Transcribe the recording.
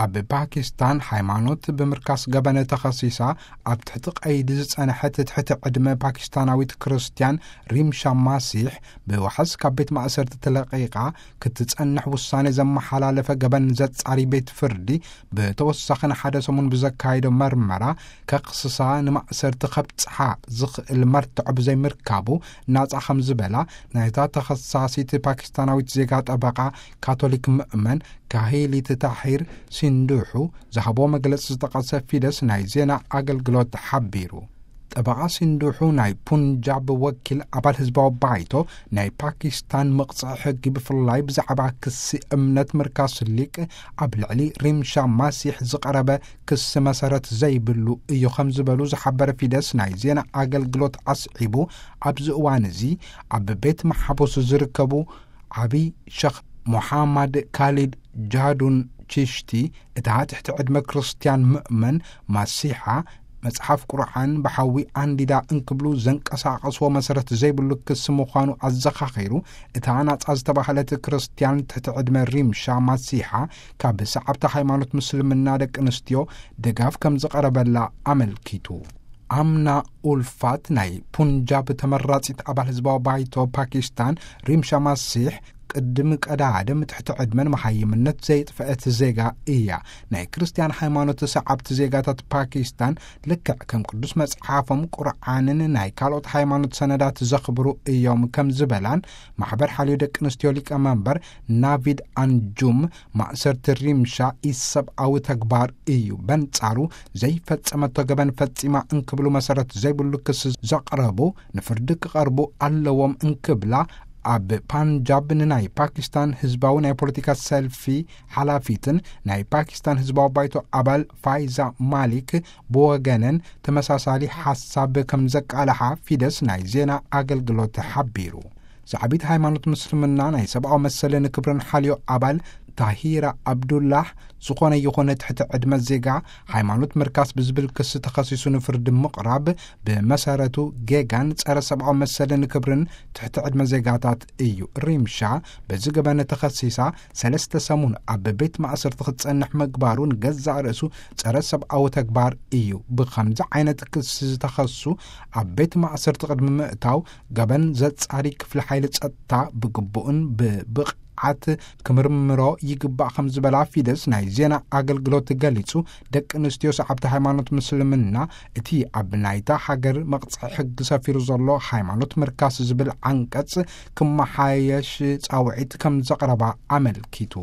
ኣብ ፓኪስታን ሃይማኖት ብምርካስ ገበን ተኸሲሳ ኣብ ትሕቲ ቀይዲ ዝጸንሐት ትሕቲ ዕድመ ፓኪስታናዊት ክርስትያን ሪምሻ ማሲሕ፣ ብዋሕስ ካብ ቤት ማእሰርቲ ተለቒቓ ክትጸንሕ ውሳኔ ዘመሓላለፈ ገበን ዘጻሪ ቤት ፍርዲ፣ ብተወሳኺ ንሓደ ሰሙን ብዘካየዶ መርመራ፣ ከኽስሳ ንማእሰርቲ ከብጽሓ ዝኽእል መርትዖ ብዘይምርካቡ፣ ናጻ ከም ዝበላ ናይታ ተኸሳሲት ፓኪስታናዊት ዜጋ ጠበቓ፣ ካቶሊክ ምእመን ካሂሊት ታሂር ሲንዱሑ ዝሃቦ መግለጺ ዝጠቐሰ ፊደስ ናይ ዜና ኣገልግሎት ሓቢሩ። ጠበቓ ሲንዱሑ፣ ናይ ፑንጃብ ወኪል ኣባል ህዝባዊ ባይቶ፣ ናይ ፓኪስታን መቕጽዒ ሕጊ ብፍላይ ብዛዕባ ክሲ እምነት ምርካስ ሊቅ ኣብ ልዕሊ ሪምሻ ማሲሕ ዝቐረበ ክሲ መሰረት ዘይብሉ እዩ ከም ዝበሉ ዝሓበረ ፊደስ ናይ ዜና ኣገልግሎት ኣስዒቡ፣ ኣብዚ እዋን እዚ ኣብ ቤት መሓቡስ ዝርከቡ ዓቢ ሸኽ ሞሓማድ ካሊድ ጃዱን ቺሽቲ፣ እታ ትሕቲ ዕድመ ክርስትያን ምእመን ማሲሓ መጽሓፍ ቁርዓን ብሓዊ ኣንዲዳ እንክብሉ ዘንቀሳቐስዎ መሰረት ዘይብሉ ክሲ ምዃኑ ኣዘኻኺሩ፣ እታ ናጻ ዝተባህለት ክርስትያን ትሕቲ ዕድመ ሪምሻ ማሲሓ ካብ ሰዓብቲ ሃይማኖት ምስልምና ደቂ ኣንስትዮ ድጋፍ ከም ዝቐረበላ ኣመልኪቱ። ኣምና ኡልፋት፣ ናይ ፑንጃብ ተመራጺት ኣባል ህዝባዊ ባይቶ ፓኪስታን፣ ሪምሻ ማሲሕ ቅድም ቀዳድም ትሕቲ ዕድመን መሃይምነት ዘየጥፈአት ዜጋ እያ። ናይ ክርስትያን ሃይማኖት ሰዓብቲ ዜጋታት ፓኪስታን ልክዕ ከም ቅዱስ መጽሓፎም ቁርዓንን ናይ ካልኦት ሃይማኖት ሰነዳት ዘኽብሩ እዮም ከም ዝበላን፣ ማሕበር ሓልዮ ደቂ ኣንስትዮ ሊቀመንበር ናቪድ ኣንጁም፣ ማእሰርቲ ሪምሻ ኢሰብኣዊ ተግባር እዩ፣ በንጻሩ ዘይፈጸመቶ ገበን ፈጺማ እንክብሉ መሰረት ዘይብሉ ክሲ ዘቕረቡ ንፍርዲ ክቐርቡ ኣለዎም እንክብላ፣ ኣብ ፓንጃብ ንናይ ፓኪስታን ህዝባዊ ናይ ፖለቲካ ሰልፊ ሓላፊትን ናይ ፓኪስታን ህዝባዊ ባይቶ ኣባል ፋይዛ ማሊክ ብወገነን ተመሳሳሊ ሓሳብ ከም ዘቃልሓ ፊደስ ናይ ዜና ኣገልግሎት ሓቢሩ። ሰዓቢት ሃይማኖት ምስልምና ናይ ሰብኣዊ መሰልን ክብርን ሓልዮ ኣባል ታሂራ ኣብዱላህ፣ ዝኾነ ይኹን ትሕቲ ዕድመ ዜጋ ሃይማኖት ምርካስ ብዝብል ክሲ ተኸሲሱ ንፍርዲ ምቕራብ ብመሰረቱ ጌጋን ጸረ ሰብኣዊ መሰልን ክብርን ትሕቲ ዕድመ ዜጋታት እዩ። ሪምሻ በዚ ገበን ተኸሲሳ ሰለስተ ሰሙን ኣብ ቤት ማእሰርቲ ክትጸንሕ ምግባሩ ንገዛእ ርእሱ ጸረ ሰብኣዊ ተግባር እዩ። ብኸምዚ ዓይነት ክሲ ዝተኸሱ ኣብ ቤት ማእሰርቲ ቅድሚ ምእታው ገበን ዘጻሪ ክፍሊ ሓይሊ ጸጥታ ብግቡእን ብብቕዓት ክምርምሮ ይግባእ ከም ዝበላ ፊደስ ናይ ዜና ኣገልግሎት ገሊጹ፣ ደቂ ኣንስትዮ ሰዓብቲ ሃይማኖት ምስልምና እቲ ኣብ ናይታ ሃገር መቕጽዒ ሕጊ ሰፊሩ ዘሎ ሃይማኖት ምርካስ ዝብል ዓንቀጽ ክመሓየሽ ጻውዒት ከም ዘቕረባ ኣመልኪቱ።